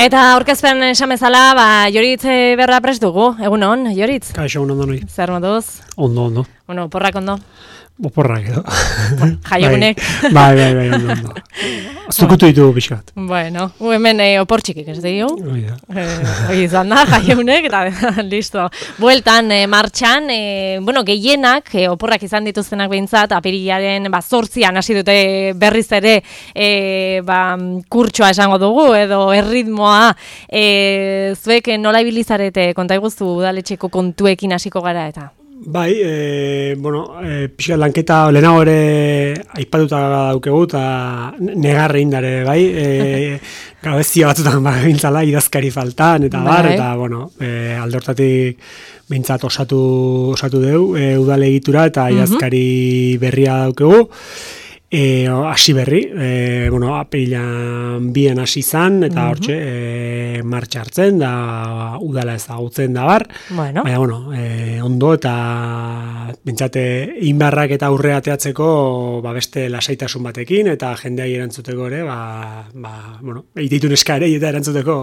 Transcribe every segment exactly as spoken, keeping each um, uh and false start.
Eta aurkezpen esan bezala, ba, Joritz berra prest dugu, egun hon, Joritz? Kaixo, egun ondo noi. Zer moduz? Ondo, ondo. Bueno, porrak ondo? Oporrak edo. Jaiegunek. Bai, bai, bai, ondo, ondo. Zukutu ditugu pixkat. Bueno, hu hemen eh, opor txikik ez dio. Oida. Hoi izan da, jaiegunek, eta listo. Bueltan, eh, martxan, eh, bueno, gehienak, eh, oporrak izan dituztenak behintzat, apirilaren, ba, zortzian hasi dute berriz ere, eh, ba, kurtsoa esango dugu, edo erritmoa, eh, zuek nola ibilizarete, konta iguzu udaletxeko kontuekin hasiko gara eta? Bai, e, bueno, e, pixka lanketa lehenago ere aipatuta daukegu eta negarre indare, bai, e, gabezia batzutan ba, bintzala idazkari faltan, eta bar, eta, bueno, e, aldortatik bintzat osatu, osatu deu, e, udale egitura eta idazkari berria daukegu. E, hasi berri, e, bueno, apirilan bien hasi izan, eta hortxe, e, martxa hartzen, da udala ezagutzen da bar, bueno. Baina, bueno, e, ondo eta bintzate inbarrak eta aurrea ateatzeko ba, beste lasaitasun batekin, eta jendeai erantzuteko ere, ba, ba, bueno, eititun eskare eta erantzuteko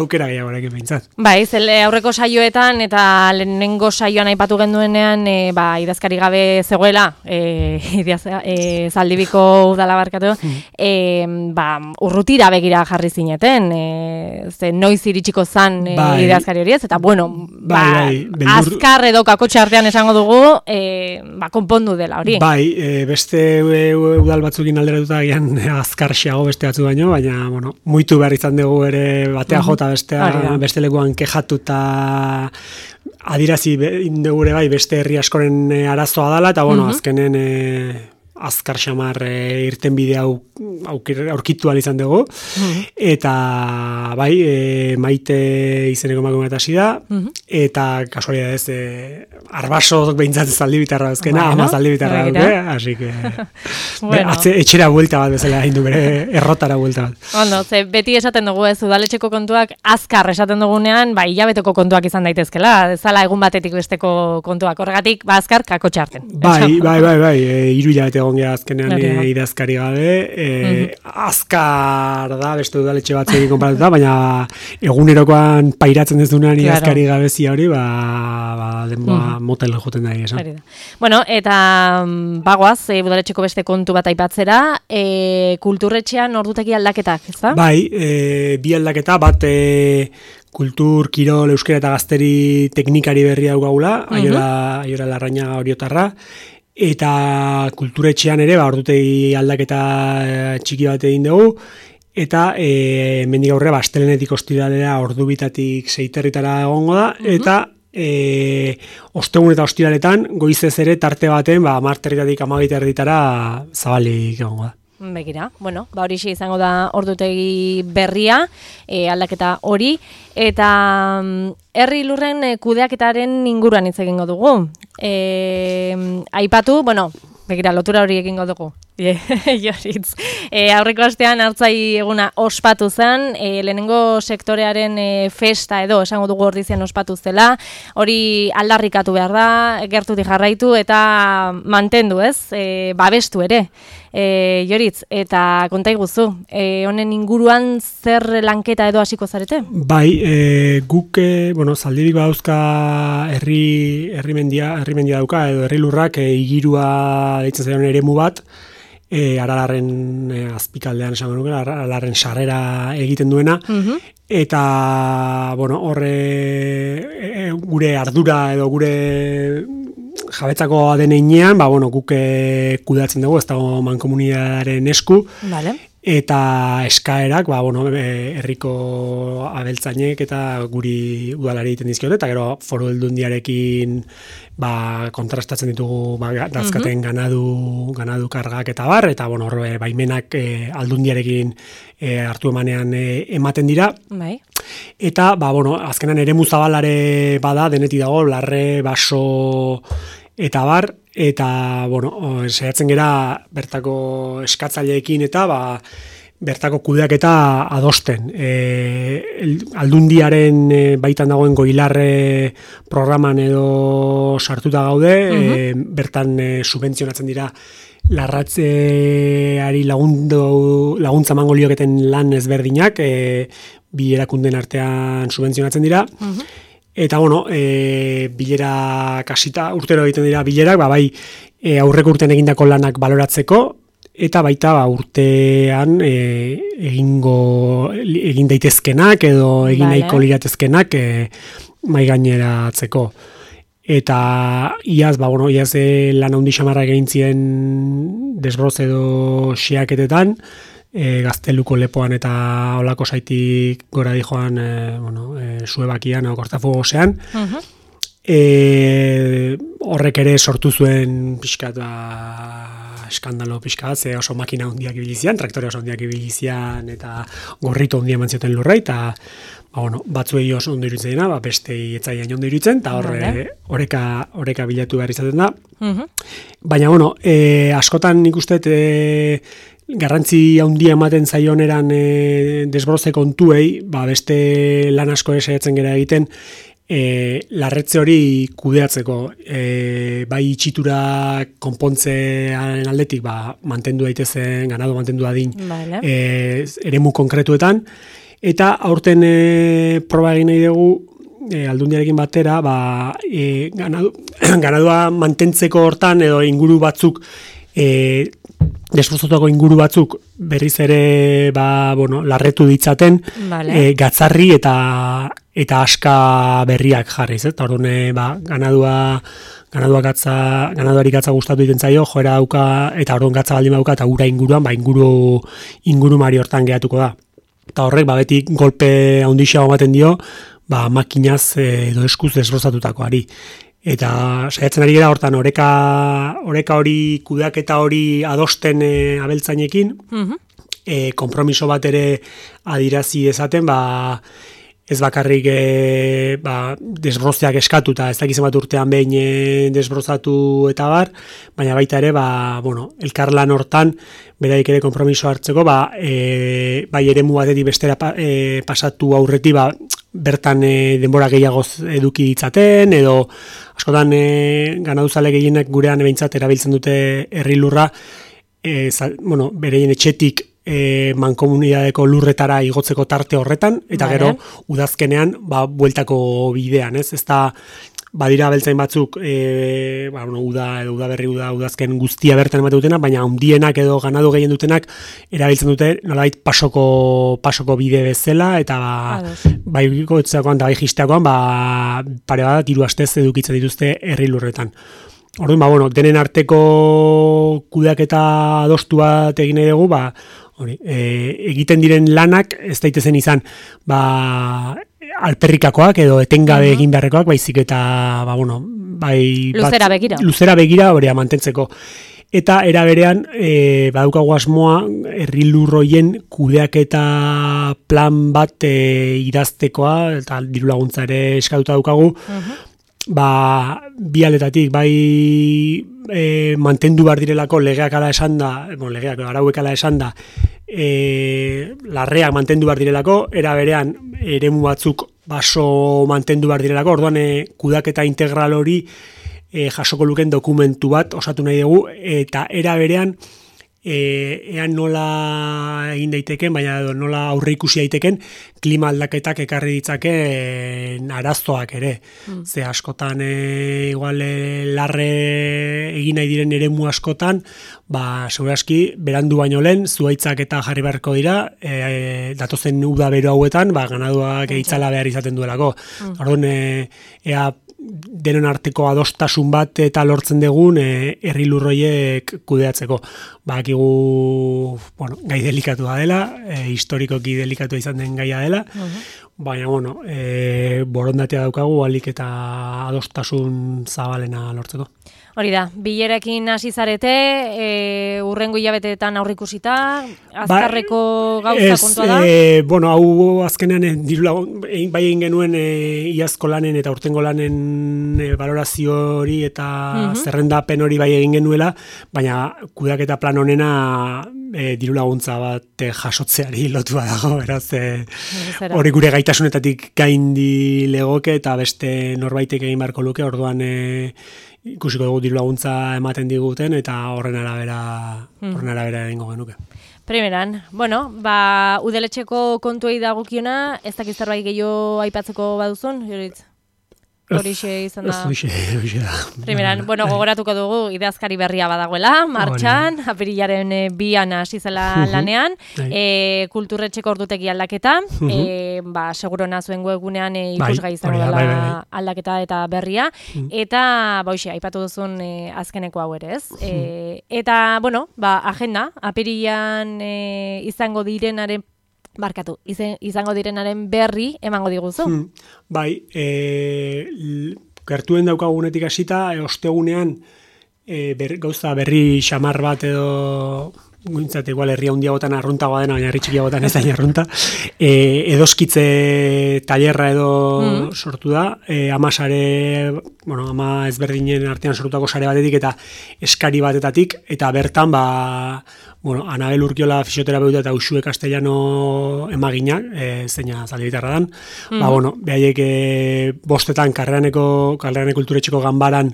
aukera gehiagorekin bintzat. Bai, zele aurreko saioetan eta lehenengo saioan aipatu genduenean, e, ba, idazkari gabe zegoela, e, idaz, e, zaldibiko udala barkatu, e, ba, urrutira begira jarri zineten, e, ze noiz iritsiko zan e, bai, idazkari horiez, eta bueno, bai, ba, bai, beldur... azkar edo kakotxe artean esango dugu, e, ba, konpondu dela hori. Bai, e, beste e, udal batzukin alderatuta gian azkar xeago beste batzu baino, baina, bueno, muitu behar izan dugu ere batea jota bestea, beste lekuan kejatu eta adirazi dugu ere bai beste herri askoren arazoa dela, eta bueno, uh-huh. azkenen... E, azkar xamar e, irten bide hau aurkitu izan dugu, mm-hmm. eta bai, e, Maite izeneko emakume eta hasi da, mm-hmm. eta kasualidadez e, arbasok behintzat zaldibitarra ezkena, bueno, ama zaldibitarra duke, hasi que bueno. Atze, etxera buelta bat bezala egin du bere errotara buelta bat. Ondo, ze beti esaten dugu ez, udaletxeko kontuak azkar esaten dugunean, bai, hilabeteko kontuak izan daitezkela, zala egun batetik besteko kontuak, horregatik, ba, azkar kakotxe harten. Bai, bai, bai, bai, e, hiru hilabete egon geha azkenean e, idazkari gabe, e, mm-hmm. azkar da, beste udaletxe batzekin konparatuta, baina egunerokoan pairatzen ez duenean claro. idazkari gabezia hori, ba, ba denboa mm-hmm. motel joten da esan. Bueno, eta bagoaz, e, udaletxeko beste kontu bat aipatzera, e, kulturretxean ordutegi aldaketak, ez da? Bai, e, bi aldaketa, bat e, kultur, kirol, euskera eta gazteri teknikari berria daukagula, mm-hmm. aiora, aiora Larrañaga Oriotarra, eta kulturetxean ere, ba, ordutegi aldaketa txiki bat egin dugu, eta e, mendik aurre, ba, astelenetik ostiralera ordubitatik seiterritara egongo da, mm-hmm. eta e, ostegun eta ostiraletan goizez ere tarte baten, ba, marterritatik amabita erditara zabalik egongo da. Begira, bueno, ba hori izango da ordutegi berria, e, aldaketa hori, eta herri lurren e, kudeaketaren inguruan hitz egingo dugu. E, aipatu, bueno, begira, lotura hori egingo dugu. Joritz. E, aurreko astean hartzai eguna ospatu zen, e, lehenengo sektorearen e, festa edo esango dugu ordizian ospatu zela, hori aldarrikatu behar da, gertutik jarraitu eta mantendu ez, e, babestu ere. E, Joritz, eta konta iguzu, e, honen inguruan zer lanketa edo hasiko zarete? Bai, e, guk, e, bueno, zaldibik badauzka herri, herri mendia, herri mendia dauka, edo herri lurrak e, igirua deitzen zaion eremu bat, E, Aralarren e, azpikaldean esango nuke, Aralarren sarrera egiten duena, mm-hmm. eta bueno, horre e, gure ardura edo gure jabetzako deneinean, ba, bueno, guk e, kudeatzen dugu, ez dago mankomunidadaren esku, vale. Eta eskaerak, ba, bueno, herriko abeltzainek eta guri udalari egiten dizkiote, eta gero foru aldundiarekin ba, kontrastatzen ditugu ba, dazkaten mm-hmm. ganadu, ganadu kargak eta bar, eta bueno, horre baimenak e, aldundiarekin e, hartu emanean e, ematen dira. Bai. Eta, ba, bueno, azkenan eremu zabalare bada, denetik dago, larre, baso eta bar, eta, bueno, saiatzen gera bertako eskatzaileekin eta, ba, bertako kudeaketa adosten. E, aldundiaren e, baitan dagoen Goilarre programan edo sartuta gaude, uh-huh. e, bertan e, subentzionatzen dira larratzeari lagundu, laguntza emango lioketen lan ezberdinak, e, bi erakunden artean subentzionatzen dira, uh-huh. Eta, bueno, e, bilera kasita, urtero egiten dira bilerak, ba, bai, e, aurreko urtean egindako lanak baloratzeko, eta baita ba, urtean e, egingo, egin daitezkenak edo egin vale. Nahiko liratezkenak e, mai gaineratzeko. Eta iaz, ba, bueno, iaz e, lan handi xamarra egin ziren desbroz edo xeaketetan, E, Gazteluko lepoan eta olako saitik gora di joan e, bueno, e, Suebakian o Kortafugosean. Uh-huh. E, horrek ere sortu zuen pixkat ba, eskandalo pixkat, ze oso makina handiak ibilizian, traktore oso handiak ibilizian eta gorrito handia eman zioten lurra, eta ba, bueno, batzuei oso ondo iruditzen dena, ba, bestei etzaian ondo iruditzen, eta horre oreka, oreka bilatu behar izaten da. Uh-huh. Baina, bueno, e, askotan nik uste e, garrantzi handia ematen zaioneran e, desbroze kontuei, ba, beste lan asko esaiatzen gera egiten, e, larretze hori kudeatzeko, e, bai itxitura konpontzearen aldetik, ba, mantendu daitezen, ganado mantendu dadin, vale. e, eremu konkretuetan, eta aurten e, proba egin nahi dugu, e, aldundiarekin batera, ba, e, ganadu, ganadua mantentzeko hortan, edo inguru batzuk, e, desbrozotako inguru batzuk berriz ere ba, bueno, larretu ditzaten vale. e, gatzarri eta eta aska berriak jarriz, eh? Eta orduan ba, ganadua ganadua gatza, ganaduari gatza gustatu egiten zaio, joera dauka eta orduan gatza baldin badauka eta ura inguruan, ba inguru inguru mari hortan geratuko da. Eta horrek ba beti golpe handiago ematen dio, ba makinaz edo eskuz desbrozatutakoari. Eta saiatzen ari gara hortan oreka oreka hori kudeaketa hori adosten e, abeltzainekin, uh-huh. e, konpromiso bat ere adirazi esaten, ba, ez bakarrik e, ba, desbrozeak eskatuta, ez dakizen bat urtean behin e, desbrozatu eta bar, baina baita ere, ba, bueno, elkarlan hortan, beraik ere konpromiso hartzeko, ba, e, bai eremu batetik bestera pa, e, pasatu aurreti, ba, bertan e, denbora gehiagoz eduki ditzaten, edo askotan e, ganaduzale gehienak gurean behintzat erabiltzen dute herri lurra, e, zal, bueno, bereien etxetik e, mankomunidadeko lurretara igotzeko tarte horretan, eta vale. Gero udazkenean ba, bueltako bidean, ez? Ez da badira abeltzain batzuk e, ba, bueno, uda edo udaberri uda udazken guztia bertan ematen dutena, baina handienak edo ganadu gehien dutenak erabiltzen dute nolabait pasoko pasoko bide bezala, eta ba, bai gotzakoan da bai jisteakoan ba, pare bat hiru astez edukitzen dituzte herri lurretan. Orduan, ba, bueno, denen arteko kudeaketa adostu bat egin nahi dugu, ba, hori, e, egiten diren lanak ez daitezen izan, ba, alperrikakoak edo etengabe egin beharrekoak, baizik eta, ba, bueno, bai... Luzera begira. Luzera begira, hori mantentzeko. Eta era berean, e, badaukagu asmoa, herri lurroien kudeaketa plan bat e, idaztekoa, eta diru laguntza ere eskatuta daukagu, uh-huh. ba, bi aldetatik, bai e, mantendu behar direlako legeak ala esan da, bueno, legeak, arauek ala esan da, e, larreak mantendu behar direlako, era berean eremu batzuk baso mantendu behar direlako, orduan e, kudaketa integral hori e, jasoko luken dokumentu bat osatu nahi dugu, eta era berean e, ean nola egin daiteken, baina edo nola aurre ikusi daiteken klima aldaketak ekarri ditzakeen arazoak ere. Mm. Ze askotan e, igual e, larre egin nahi diren eremu askotan, ba segurazki berandu baino lehen zuhaitzak eta jarri beharko dira, e, e, datozen uda bero hauetan, ba ganaduak okay. Eitzala behar izaten duelako. Mm. Orduan e, ea denon arteko adostasun bat eta lortzen dugun e, herri lurroiek kudeatzeko. Bakigu, bueno, gai delikatua dela, e, historikoki delikatua izan den gaia dela, uh-huh. baina, bueno, e, borondatea daukagu alik eta adostasun zabalena lortzeko. Hori da, bilerekin hasi zarete, e, urrengo hilabeteetan aurrikusita, azkarreko ba, gauza ez, kontua da? E, bueno, hau azkenean, e, dirulagun, e, bai egin genuen e, iazko lanen eta urtengo lanen e, valorazio hori eta uh-huh. zerrendapen hori bai egin genuela, baina kudeaketa plan honena e, diru laguntza bat e, jasotzeari lotua dago, beraz, e, hori gure gaitasunetatik gaindi legoke eta beste norbaitek egin beharko luke, orduan e, ikusiko dugu diru laguntza ematen diguten eta horren arabera, hmm. horren arabera egingo genuke. Primeran, bueno, ba, udaletxeko kontuei dagokiona, ez dakiz zerbait gehiago aipatzeko baduzun, Joritz? Horixe izan da. Horixe, horixe da. Primeran, bueno, gogoratuko dugu ideazkari berria badagoela, martxan, apirilaren e, bian hasi zela lanean, e, kulturretxeko ordutegi aldaketa, e, ba, seguro nazuen webgunean e, ikusgai izango dela aldaketa eta berria, eta, ba, hoxe, aipatu duzun e, azkeneko hau ere, ez? E, eta, bueno, ba, agenda, apirilan e, izango direnaren Barkatu, izango direnaren berri emango diguzu. Hmm, bai, e, gertuen daukagunetik hasita, e, ostegunean e, ber, gauza berri xamar bat edo guntzat, igual herria hundiagotan arruntagoa dena, baina herri txikiagotan ez da arrunta, e, edoskitze tailerra edo mm. sortu da, e, ama sare, bueno, ama ezberdinen artean sortutako sare batetik eta eskari batetatik, eta bertan, ba, bueno, Anabel Urkiola fisioterapeuta eta Uxue Castellano emaginak, e, zeina zaldibitarra dan, mm. ba, bueno, behaiek e, bostetan karreraneko, karreraneko kulturetxeko ganbaran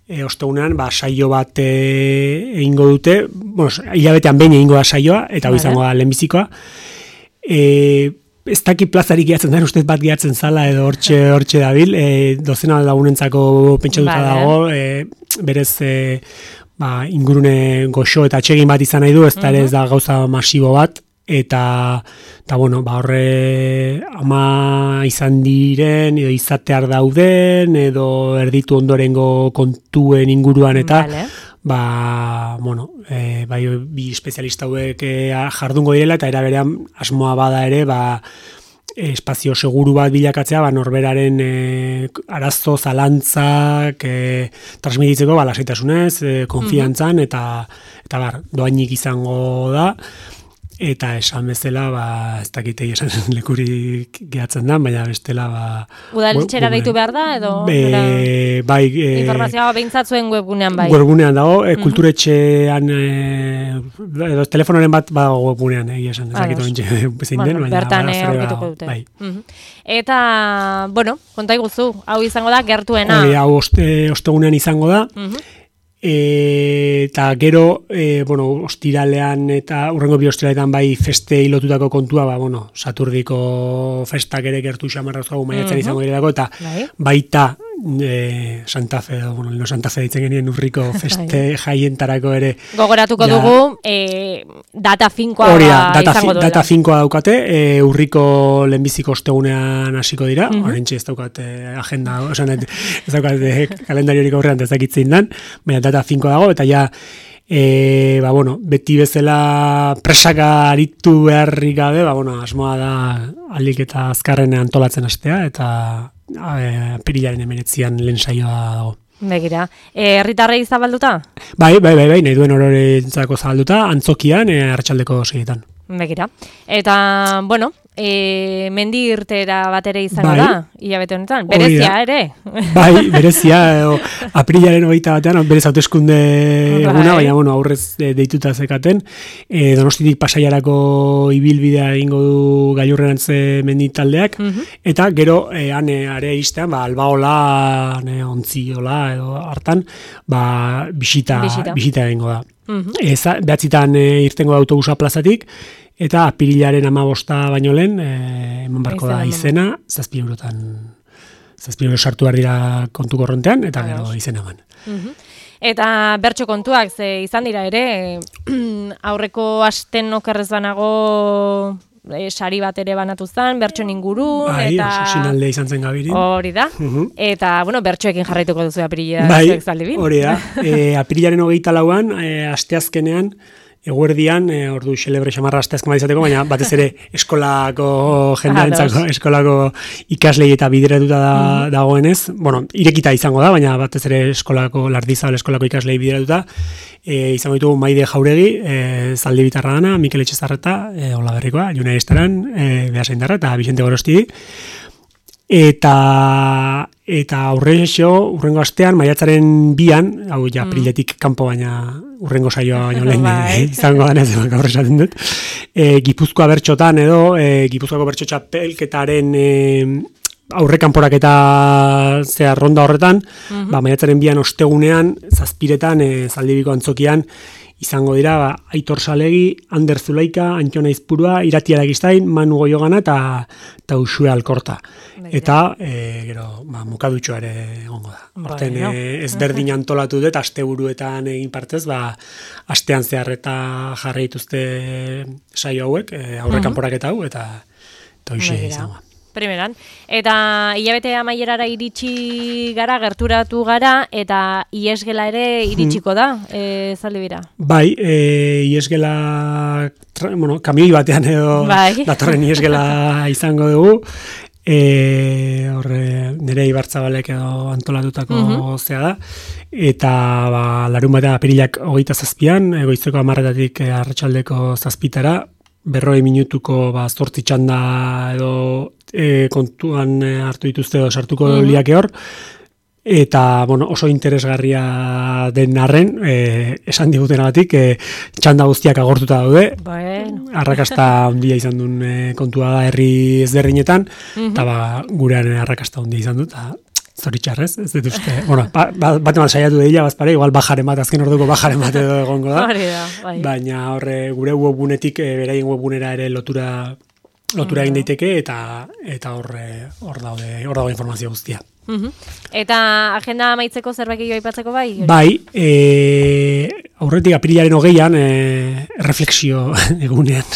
E, ostegunean, ba, saio bat egingo dute, bueno, hilabetean behin egingo da saioa, eta hori izango da lehenbizikoa. E, ez daki plazarik gehatzen da, ustez bat gehatzen zala, edo hortxe, hortxe dabil, e, dozena lagunentzako pentsatuta dago, e, berez, e, ba, ingurune goxo eta atsegin bat izan nahi du, ez da ere ez da gauza masibo bat, eta, eta bueno, ba, horre ama izan diren, edo izatear dauden, edo erditu ondorengo kontuen inguruan, eta, vale. ba, bueno, e, bai, bi espezialista hauek e, jardungo direla, eta era berean asmoa bada ere, ba, espazio seguru bat bilakatzea, ba, norberaren e, arazo, zalantzak, e, transmititzeko, ba, lasaitasunez, e, konfiantzan, eta, eta bar, doainik izango da, eta esan bezala, ba, ez dakite esan lekurik gehatzen da, baina bestela, ba... Udaletxera deitu behar da, edo? E, bai... E, informazioa behintzat zuen webgunean bai. Webgunean dago, e, kulturetxean, e, edo telefonoren bat badago webgunean, egia esan, ez dakit orintxe bezein den, baina... Bertan aurkituko dute. Bai. Uh-huh. Eta, bueno, konta iguzu, hau izango da, gertuena. E, hau oste, ostegunean izango da, uh-huh. E, eta gero, e, bueno, ostiralean eta urrengo bi ostiraletan bai feste hilotutako kontua, ba, bueno, Saturdiko festak ere gertu xamarra zuagu maiatzen uh-huh. izango direlako, eta bai. baita e, Santa Fe, bueno, no Santa Fe ditzen genien urriko feste jaientarako ere. Gogoratuko ja, dugu, e, data finkoa Horia, data, izango duela. Data finkoa daukate, e, urriko lehenbiziko ostegunean hasiko dira, uh-huh. orentxe ez daukate agenda, osan, ez daukate kalendariorik aurrean ez dakitzen dan, baina data finkoa dago, eta ja, e, ba, bueno, beti bezala presaka aritu beharrik gabe, ba, bueno, asmoa da alik eta azkarren antolatzen hastea, eta apirilaren hemeretzian lehen saioa dago. Begira, herritarrei e, zabalduta? Bai, bai, bai, bai, nahi duen ororentzako zabalduta, antzokian, e, arratsaldeko seietan. Begira, eta, bueno, e, mendi irtera bat ere izango bai. da, hilabete honetan, berezia ere. Bai, berezia, o, aprilaren hogeita batean, berez hauteskunde eguna, baina, bueno, aurrez de, deituta zekaten, e, Donostitik Pasaiarako ibilbidea egingo du gailurrerantze mendi taldeak, uh-huh. eta gero, e, ane, are iztean, ba, albaola, ane, ontziola, edo hartan, ba, bisita, bisita. bisita egingo da. Uh-huh. Eza, behatzitan e, irtengo da autobusa plazatik, eta apirilaren amabosta baino lehen, e, eman barko da izena, zazpi eurotan, zazpi euro sartu behar dira kontu korrontean, eta gero izena eman. Uh-huh. Eta bertso kontuak, ze izan dira ere, aurreko asten okerrez banago, E, sari bat ere banatu zen, bertsoen ingurun, bai, eta... Bai, sinalde izan zen gabirin. Hori da, uh-huh. eta, bueno, bertsoekin jarraituko duzu apirila bai, zuek zaldibin. Hori da, e, apirilaren hogeita lauan, e, asteazkenean, eguerdian, e, ordu xelebre xamarra asteazken bat izateko, baina batez ere eskolako jendarentzako, eskolako ikaslei eta bideratuta da, uh-huh. dagoenez, bueno, irekita izango da, baina batez ere eskolako, lardizabal eskolako ikaslei bideratuta, e, izango ditugu Maide Jauregi, e, Zaldibitarra dana, Mikel Etxezarreta, e, Olaberrikoa, Juna Estaran, e, Beasaindarra eta Vicente Gorosti, eta eta aurrexo, urrengo astean, maiatzaren bian, hau ja, apriletik kanpo baina urrengo saioa baino lehen izango da, ez gaur esaten dut, e, Gipuzkoa bertxotan edo, e, Gipuzkoako bertxo txapelketaren e, aurrekanporak eta zea ronda horretan, uh-huh. ba, maiatzaren bian ostegunean, zazpiretan, e, Zaldibiko antzokian, izango dira, ba, Aitor Salegi, Ander Zulaika, Antxona Izpurua, Irati Aragistain, Manu Goiogana eta, eta Uxue Alkorta. Baina. Eta, e, gero, ba, mukadutxoa ere egongo da. Horten, no. e, ezberdin antolatu dut, asteburuetan egin partez, ba, astean zehar eta jarri dituzte saio hauek, e, aurrekanporak eta hau, eta hoxe izango. Primeran. Eta hilabete amaierara iritsi gara, gerturatu gara, eta iesgela ere iritsiko da, e, Zaldibira. Bai, e, iesgela, bueno, kamioi batean edo bai. Datorren iesgela izango dugu. E, horre, nire Ibartzabalek edo antolatutako uh-huh. zea da. Eta ba, larun batean apirilak hogeita zazpian, goizeko hamarretatik arratsaldeko zazpitara, berroi minutuko ba, zortzi txanda edo e, kontuan e, hartu dituzte edo sartuko mm-hmm. liake hor, eta bueno, oso interesgarria den arren, e, esan digutenagatik, e, txanda guztiak agortuta daude, bueno. Arrakasta handia izan duen e, kontua da herri ezberdinetan, mm-hmm. eta ba, gurean arrakasta handia izan dut, eta zoritxarrez, ez dut uste. Bueno, ba, ba, bat eman saiatu dira, bazpare, igual bajaren bat, azken orduko bajaren bat edo egongo da. da bai. Baina horre gure webgunetik, e, beraien webgunera ere lotura lotura egin daiteke, eta eta horre hor daude, hor daude informazio guztia. Uh-huh. Eta agenda amaitzeko zerbait gehiago aipatzeko bai? Bai, e, aurretik apirilaren hogeian, e, refleksio egunean,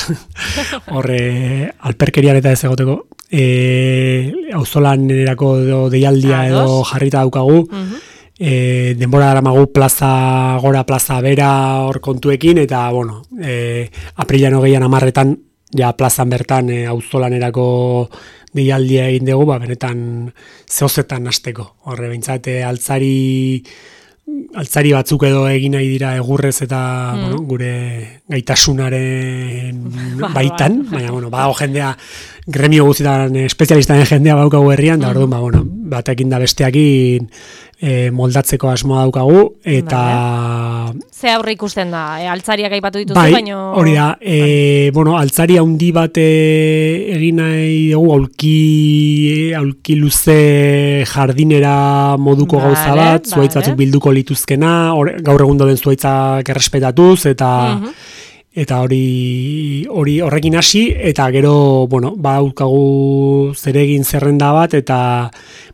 horre alperkerian eta ez egoteko, E, auzolan erako deialdia edo jarrita daukagu, uh-huh. e, denbora daramagu plaza gora, plaza bera hor kontuekin, eta bueno, e, aprilan hogeian amarretan, ja plazan bertan e, auzolan erako deialdia egin dugu, ba, benetan zehozetan hasteko. Horre, behintzate, altzari altzari batzuk edo egin nahi dira egurrez eta mm. bueno, gure gaitasunaren baitan, baina bueno, badago jendea gremio guztietan espezialistaren jendea baukagu herrian, da orduan, ba, bueno, batekin da besteakin e, moldatzeko asmoa daukagu, eta... Vale. Ze aurre ikusten da, e, altzariak aipatu dituzu, bai, baino... hori da, e, bueno, altzari handi bat e, egin nahi dugu, aulki, aulki luze jardinera moduko vale, gauza bat, vale. Zuaitz batzuk bilduko lituzkena, or, gaur egun doden zuaitzak errespetatuz, eta... Uh-huh. Eta hori hori horrekin hasi, eta gero, bueno, badaukagu zeregin zerrenda bat, eta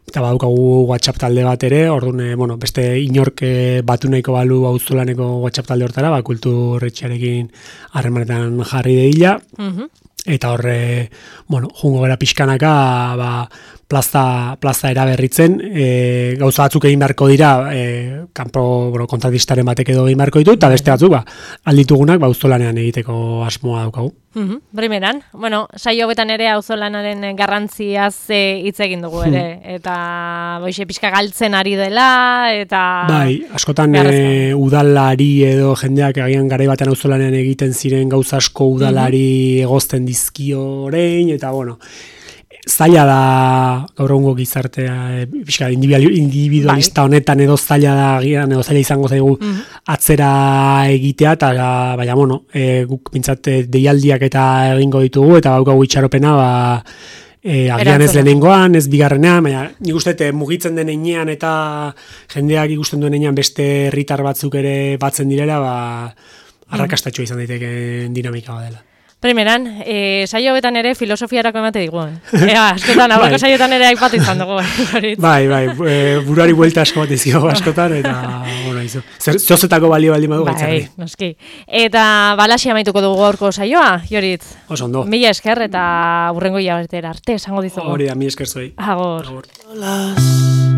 eta badaukagu WhatsApp talde bat ere, orduan, bueno, beste inork batu nahiko balu auzolaneko WhatsApp talde hortara, ba, kulturretxearekin harremanetan jarri deila, uh-huh. Eta horre, bueno, jungo gara pixkanaka, ba, plaza, plaza eraberritzen, e, gauza batzuk egin beharko dira, e, kanpo bueno, kontratistaren batek edo egin beharko ditu, eta beste batzuk, ba, alditugunak, ba, auzolanean egiteko asmoa daukagu. Uh-huh. Primeran, bueno, saio betan ere auzolanaren garrantziaz hitz egin dugu ere, eta boixe pixka galtzen ari dela, eta... Bai, askotan e, udalari edo jendeak agian garai batean auzolanean egiten ziren gauza asko udalari uh-huh. egozten dizkio orain, eta bueno... Zaila da gaur egungo gizartea, e, pixka, individualista honetan edo zaila da, gian, edo zaila izango zaigu mm-hmm. atzera egitea, eta baina, bueno, e, guk pintzat deialdiak eta egingo ditugu, eta baukagu itxaropena, ba, e, agian ez lehenengoan, ez bigarrenean, baina nik uste mugitzen den einean eta jendeak ikusten duen einean beste herritar batzuk ere batzen direla, ba, arrakastatxoa izan daiteke dinamika dela. Primeran, e, saio betan ere filosofiarako emate digu. Ea, askotan, aurreko bai. Saioetan ere aipatu izan dugu. bai, bai, e, buruari buelta asko bat izio askotan, eta, bueno, izo. Zozetako balio baldi madu gaitzarri. Bai, noski. Eta balaxi amaituko dugu gaurko saioa, Joritz. Oso ondo. Mila esker eta burrengo hilabetera arte, esango dizugu. Hori da, mila esker zoi. Agor. Agor.